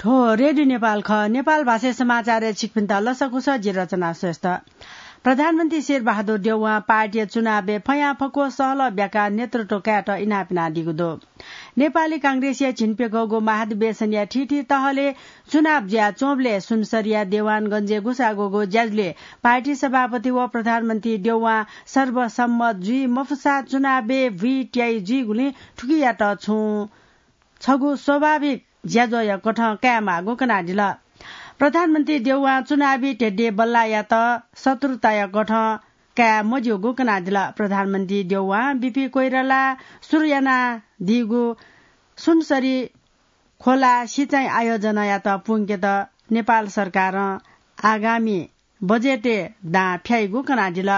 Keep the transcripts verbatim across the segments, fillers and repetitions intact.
थ्व रेडियो नेपाल खः। नेपाल भाषाय् समाचारय् छिकपिन्त लसकुस, जि रचना श्रेष्ठ। प्रधानमन्त्री शेरबहादुर देउवां पार्टीया चुनावय् फयां फक्व सहलह ब्याकाः नेतृत्व कायेत इनाप यानादीगु दु। नेपाली कांग्रेसया झिंप्यघौगु महाधिवेशनया थीथी तहलय् चुनाव जुयाच्वंबलय् सुनसरीया देवानगंजय् ग्वसाः ग्वःगु ज्याझ्वलय् पार्टी सभापति व प्रधानमन्त्री देउवां सर्वसम्मत जुइ मफुसा चुनावय् भुइँ त्याइ जुइगुलिं थुकियात छुं छगू स्वाभाविक ज्याझ्वःया कथं कायेमाःगु कनादिल। प्रधानमन्त्री देउवां चुनावी ध्येद्यः बल्लाःयात शत्रुताया कथं काये मज्यूगु कनादिल। प्रधानमन्त्री देउवां बीपी कोइरालां सुरु यानादीगु सुनसरी खोला सिँचाइ आयोजनायात प्वंकेत नेपाल सरकारं आगामी बजेटय् दां फ्याइगु कनादिल।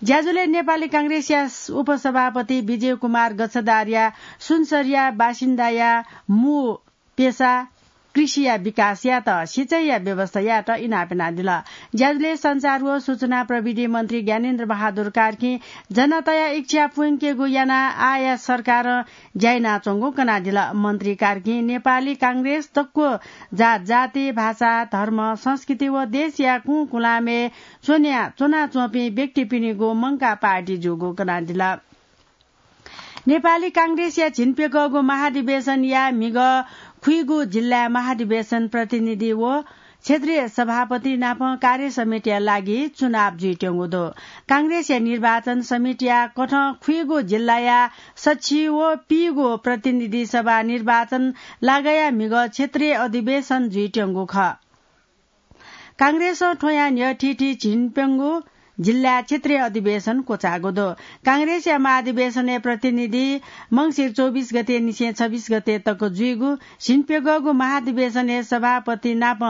ज्याझ्वलय् नेपाली कांग्रेसया उपसभापति विजय कुमार गच्छदारया सुनसरीया बासिन्दाया मू पेसा कृषिया विकास यायेत सिँचाइया व्यवस्था यायेत इनाप यानादिल। ज्याझ्वलय् सञ्चार व सूचना प्रविधि मन्त्री ज्ञानेन्द्र बहादुर कार्कीं जनताया इच्छा प्वंकेगु यानाः आःया सरकारं ज्या यानाच्वंगु कनादिल। मन्त्री कार्कीं नेपाली कांग्रेस दक्व जात जाति, भाषा, धर्म, संस्कृति व देशया कुंकुलामय् च्वन्या च्वनाच्वंपिं व्यक्तिपिनिगु मंकाः पार्टी जूगु कनादिल। नेपाली कांग्रेसया झिंप्यघौगु महाधिवेशनया म्हिगः खुइगू जिल्लाय् महाधिवेशन प्रतिनिधि व क्षेत्रीय सभापति नाप कार्य समितिया लागि चुनाव जुइत्यंगु दु। कांग्रेसया निर्वाचन समितिया कथं खुइगू जिल्लाया सछि व पीगू प्रतिनिधि सभा निर्वाचन लागःया म्हिगः क्षेत्रीय अधिवेशन जुइत्यंगु खः। कांग्रेसं थ्वया न्ह्यः थीथी झिंप्यंगू जिल्लाय् क्षेत्रीय अधिवेशन क्वचाःगु दु। कांग्रेसया महाधिवेशनय् प्रतिनिधि मंसिर चौबिस गते निसें छब्बिस गते तक जुइगु झिंप्यघौगु महाधिवेशनय् सभापति नाप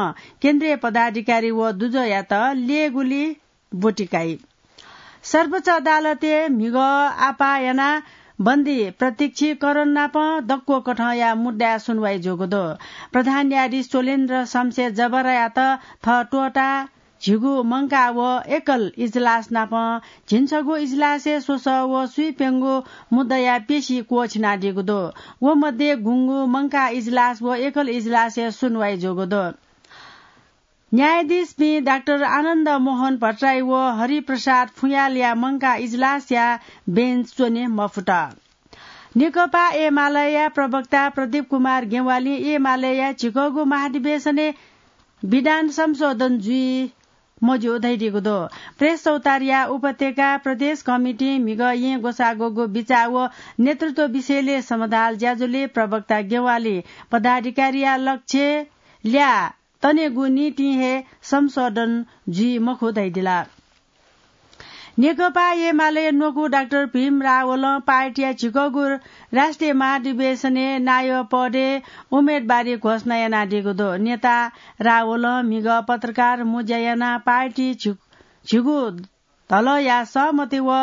केन्द्रीय पदाधिकारी व दुजःयात ल्ययेगुली ब्वति काइ। सर्वोच्च अदालतय् म्हिगः आपाः यानाः बन्दी प्रत्यक्षीकरण नाप दक्व कथंया मुद्दाय् सुनवाइ जूगु दु। प्रधान न्यायाधीश चोलेन्द्र शमशेर जबरायात थः त्वःताः झिगू मंकाः व एकल इजलास नाप झिंछगू इजलासय् स्वसः व स्वीप्यंगू मुद्दाया पेशि क्वःछिनादीगु दु। व मध्ये गुंगू मंकाः इजलास व एकल इजलासय् सुनवाइ जूगु दु। न्यायाधीशपिं डाक्टर आनन्द मोहन भट्टराई व हरिप्रसाद फुयालया मंकाः इजलासया बेन्च च्वने मफुत। नेकपा एमालेया प्रवक्ता प्रदीप कुमार गेवालीं एमालेया झिकःगु महाधिवेशनय् विधान संशोधन जुइ मज्यू धयादीगु दु। प्रेस चौतारीया उपत्यका प्रदेश कमिटिं म्हिगः येँ ग्वसाः ग्वःगु बिचाः व नेतृत्व विषयलय् समधाल ज्याझ्वलय् प्रवक्ता गेवालीं पदाधिकारीया लक्ष्य ल्याः तनेगु निंतिं हे संशोधन जुइ मखु धयादिल। नेकपा एमाले न्वकू डाक्टर भीम रावलं पार्टीया झिकःगु राष्ट्रिय महाधिवेशनय् नायः पदय् उम्मेदवारी घोषणा यानादीगु दु। नेता रावलं म्हिगः पत्रकार मुँज्या यानाः पार्टी झि-, झिगू धलःया सहमति व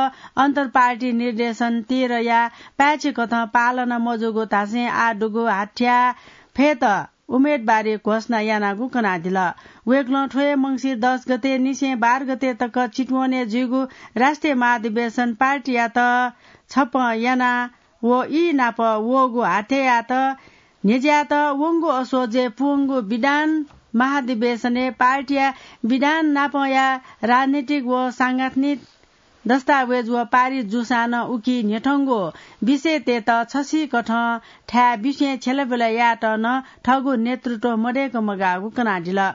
अन्तर्पार्टी निर्देशन तेह्रया पाय्छि कथं पालना मजूगु धासें आः दुगु हाथ्या फयेत उम्मेदवारी घोषणा यानागु कनादिल। वय्कलं थ्व हे मंसिर दस गते निसें बाह्र गते तक चितवनय् जुइगु राष्ट्रिय महाधिवेशन पार्टीयात छप्पँ याना व ई नाप वःगु हाथ्यायात न्ह्यज्यायेत वंगु असोजय् पूवंगु विधान महाधिवेशनय् पार्टीया विधान नापया राजनीतिक व सांगठनिक दस्तावेज व पारित जूसां नं उकी न्ह्यथंगु विषयतय्त छसिकथं थाय् बिसें छ्यलाबिला यायेत नं थःगु नेतृत्व मदय्क मगाःगु कनादिल।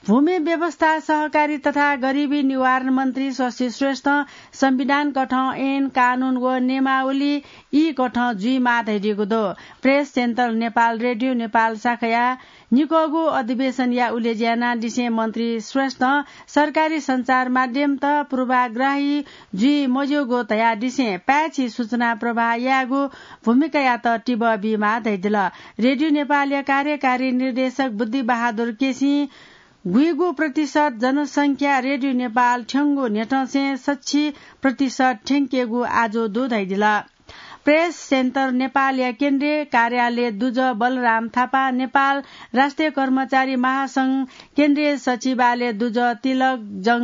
भूमि व्यवस्था, सहकारी तथा गरिबी निवारण मन्त्री शशि श्रेष्ठं संविधान कथं ऐन, कानून व नियमावली ई कथं जुइमाः धयादीगु दु। प्रेस सेन्टर नेपाल, रेडियो नेपाल शाखाया निकःगु अधिवेशनया उलेज्या यानादिसें मन्त्री श्रेष्ठं सरकारी सञ्चार माध्यमत पूर्वाग्रही जुइ मज्यूगु धयादिसें पाय्छि सूचना प्रवाह यायेगु भूमिकायात तिबः बीमाः धयादिल। रेडियो नेपालया कार्यकारी निर्देशक बुद्धिबहादुर केसीं गुइगु प्रतिशत जनसंख्या रेडियो नेपाल थ्यंगु न्ह्यथंसें सच्छि प्रतिशत थ्यंकेगु आजु दु धयादिल। प्रेस सेन्टर नेपालया केन्द्रीय कार्यालय दुजः बलराम थापा, नेपाल राष्ट्रिय कर्मचारी महासंघ केन्द्रीय सचिवालय दुजः Tilak Jang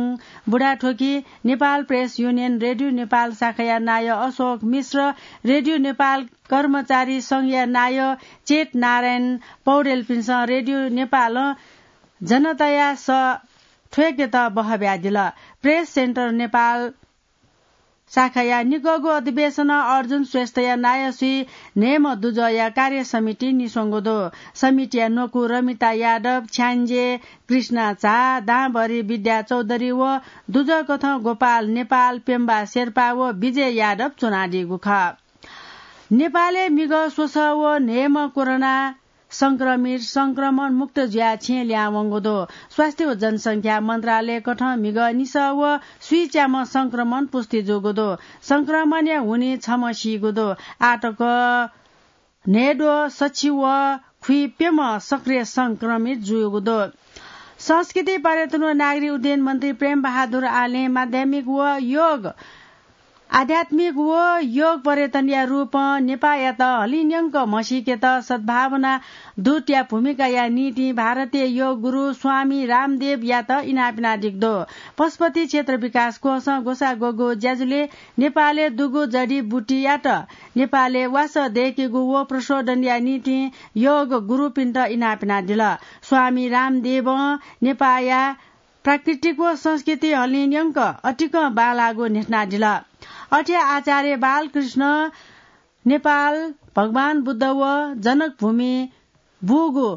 Budhathoki, Nepal press union radio Nepal शाखाया नायः अशोक मिश्र, रेडियो नेपाल कर्मचारी संघया नायः चेत नारायण पौडेलपिन्सं रेडियो नेपालं जनताया सः थ्वय्केत बहःब्यादिल। प्रेस सेन्टर नेपाल शाखाया निकःगु अधिवेशनं अर्जुन श्रेष्ठया नायःसुइ न्हय्म्ह दुजःया कार्य समिति निस्वंगु दु। समितिया न्वकू रमिता यादव, छ्याञ्जे कृष्णा झा, दांभरि विद्या चौधरी व दुजःकथं गोपाल नेपाल, पेम्बा शेर्पा व विजय यादव च्वनादीगु खः। नेपालय् म्हिगः स्वसः व न्हय्म्ह कोरोना संक्रमित संक्रमण मुक्त जुयाः छेँ ल्याहां वंगु दु। स्वास्थ्य व जनसंख्या मन्त्रालयकथं म्हिगः निसः व स्वीच्याम्ह संक्रमण पुष्टि जूगु दु। संक्रमणया हुनिं छम्ह सीगु दु। आःतक न्हय्द्वः सछि व खुइप्यम्ह सक्रिय संक्रमित जूगु दु। संस्कृति, पर्यटन व नागरिक उड्डयन मन्त्री प्रेम बहादुर आलें माध्यमिक व योग आध्यात्मिक व योग पर्यटनया रूपं नेपाःयात हलिंन्यंक म्हसीकेत सद्भावना दूतया भूमिकाया निंतिं भारतीय योग गुरु स्वामी रामदेवयात इनाप यानादीगु दु। पशुपति क्षेत्र विकास कोषं ग्वसाः ग्वःगु ज्याझ्वलय् नेपालय् दुगु जडीबुटीयात नेपालय् वासः दय्केगु व प्रशोधनया निंतिं योग गुरुपिन्त इनाप यानादिल। स्वामी रामदेवं नेपाःया प्राकृतिक व संस्कृति हलिंन्यंक अतिकं बांलाःगु न्ह्यथनादिल। अथे आचार्य बालकृष्ण नेपाल भगवान बुद्ध व जनकभूमि बूगु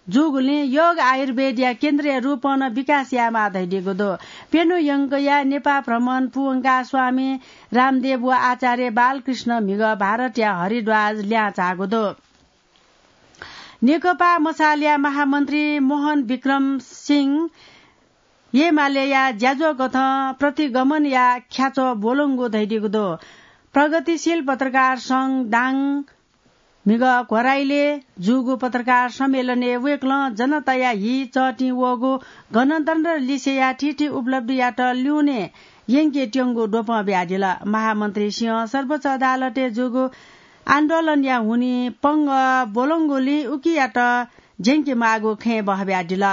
जूगुलिं योग आयुर्वेदया केन्द्रया रूपं नं विकास यायेमाः धयादीगु दु। प्यन्हु यंकया नेपाः भ्रमण पूवंकाः स्वामी रामदेव व आचार्य बालकृष्ण म्हिगः भारतया हरिद्वार ल्याहां झाःगु दु। नेकपा मशालया महामन्त्री मोहन विक्रम सिंह येमालेया ज्याझ्वःकथं प्रतिगमनया ख्याच्वः ब्वलंगु धयादीगु दु। प्रगतिशील पत्रकार संघ दाङ म्हिगः घ्वराइलय् जूगु पत्रकार सम्मेलनय् वय्कलं जनताया हि चःतिं वःगु गणतन्त्र लिसेया थीथी उपलब्धियात ल्यूने यंकेत्यंगु द्वपं बियादिल। महामन्त्री सिंहं सर्वोच्च अदालतय् जूगु आन्दोलनया हुनिं पंगः ब्वलंगुलिं उकियात ज्यंकेमाःगु खँय् बहःब्यादिल।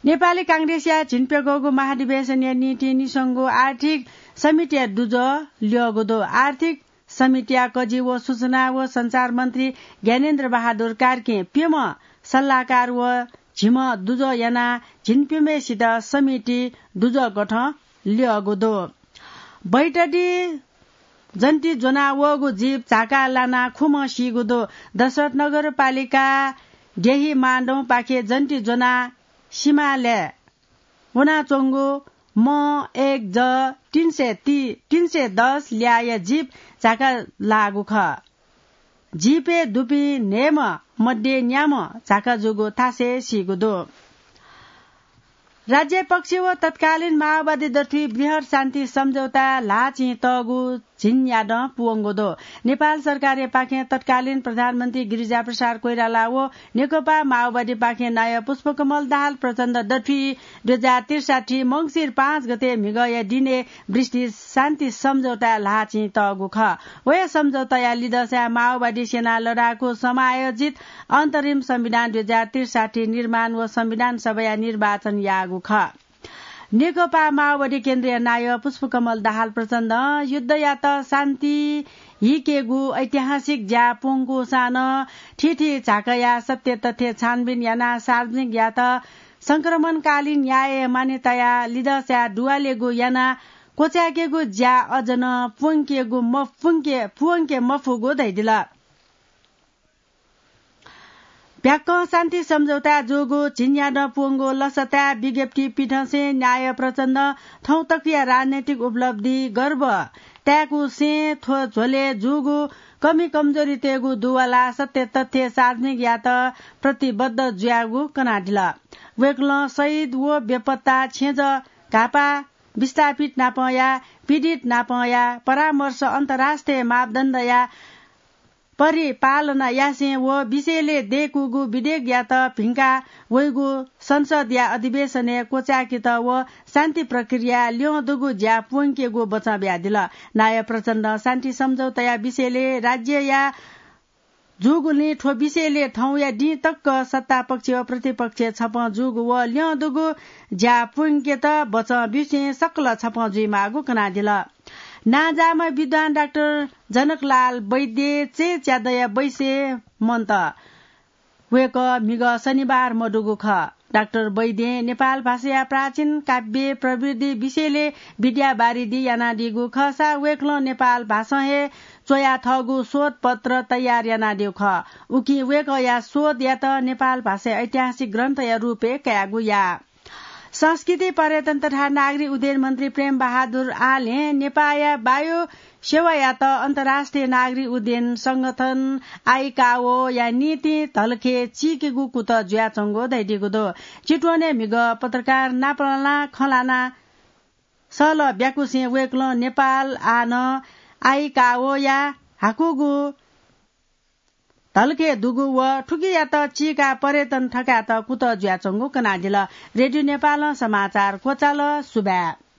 नेपाली कांग्रेसया झिंप्यघौगु महाधिवेशनया निंतिं निस्वंगु आर्थिक समितिया दुजः ल्यःगु दु। आर्थिक समितिया कजि व सूचना व सञ्चार मन्त्री ज्ञानेन्द्र बहादुर कार्कीं प्यम्ह सल्लाहकार व झिम्ह दुजः यानाः झिंप्यम्हेसित समिति दुजःकथं ल्यःगु दु। बैतडी जन्ति ज्वनाः वःगु जीप झाका लानाः खुम्ह सीगु दु। दशरथ नगरपालिका द्यही माडौंपाखे जन्ति ज्वनाः सिमालय् वनाच्वंगु म एक ज तीन सय ती-, तीन सय दस ल्याःया जीप झाका लाःगु खः। जीपय् दुपिं न्हय्म्ह मध्ये न्याम्ह झाका जूगु थासय् सीगु दु। राज्य पक्ष व तत्कालीन माओवादी दथुइ बृहत् शान्ति सम्झौता ल्हाःचिं तःगु झिंन्यादँ पूवंगु दु। नेपाल सरकारयापाखें तत्कालीन प्रधानमन्त्री गिरिजाप्रसाद कोइराला व नेकपा माओवादीपाखें नायः पुष्पकमल दाहाल प्रचण्ड दथुइ दुई हजार त्रिसठ्ठी मंसिर पाँच गते म्हिगःया दिनय् बृहत् शान्ति सम्झौता ल्हाःचिं तःगु खः। व हे सम्झौताया लिधंसाय् माओवादी सेनां लडाकू समायोजित अन्तरिम संविधान दुई हजार त्रिसठ्ठी निर्माण व संविधान सभाया निर्वाचन याःगु खः। नेकपा माओवादी केन्द्रीय नायः पुष्पकमल दाहाल प्रचण्डं युद्धयात शान्ति हीकेगु ऐतिहासिक ज्या पूवंकूसां नं थीथी झाकाया सत्य तथ्य छानबिन यानाः सार्वजनिक यात संक्रमणकालीन न्याय मान्यताया लिधंसाय् दुवालेगु यानाः क्वचाय्केगु ज्या अझ नं पूवंकेगु म-, पूवंके, पूवंके मफुगु धयादिल। ब्याक्कं शान्ति सम्झौता जूगु झिंन्यादँ पूवंगु लसताय् विज्ञप्ति पिथंसें नायः प्रचण्डं थौंतकया राजनैतिक उपलब्धि गर्व ताय्कूसें थ्व झ्वलय् जूगु कमी कमजोरीतय्गु दुवालाः सत्य तथ्य सार्वजनिक यात प्रतिबद्ध जुयागु कनादिल। वय्कलं शहीद व बेपत्ता छेँजः घाःपाः विस्थापित नापंया पीडित नापंया परामर्श अन्तर्राष्ट्रिय मापदण्डया परिपालना यासें व विषयले दय्कूगु विधेयकयात भिंका वइगु संसदया अधिवेशनय् क्वचाय्केत व शान्ति प्रक्रिया ल्यं दुगु ज्या प्वंकेगु बचं बियादिल। नायः प्रचण्डं शान्ति सम्झौताया विषयले राज्यया जूगुलिं थ्व विषयले थौंया दिं तक सत्ता पक्ष व प्रतिपक्ष छपं जूगु व ल्यं दुगु ज्या प्वंकेत बचं बिसें सकल छपं जुइमाःगु कनादिल। नांजाःम्ह विद्वान डाक्टर जनकलाल वैद्य चय्च्यादँया बैसय् मन्त। वय्कः म्हिगः शनिबार मदुगु खः। डाक्टर वैद्यं नेपाल भाषाया प्राचीन काव्य प्रविधि विषयले विद्यावारिधि यानादीगु खःसा वय्कलं नेपाल भाषां हे च्वया थःगु शोधपत्र तयार यानादीगु खः। उकिं वय्कःया शोधयात नेपाल भाषाया ऐतिहासिक ग्रन्थया रूपय् कायेगु याः। संस्कृति, पर्यटन तथा नागरिक उड्डयन मन्त्री प्रेम बहादुर आलें नेपाःया वायु सेवायात अन्तर्राष्ट्रिय नागरिक उड्डयन संगठन आइकाओया निंतिं धलखे चीकेगु कुतः जुयाच्वंगु धयादीगु दु। चितवनय् म्हिगः पत्रकार नापलानाः खँ ल्हानाः सहलह ब्याकुसें वय्कलं नेपाल आः नं आइकाओया हाकुगु धलखे दुगु व थुकियात चीकाः पर्यटन थकायेत कुतः जुयाच्वंगु कनादिल। रेडियो नेपालं समाचार क्वचाल। सुभाय्।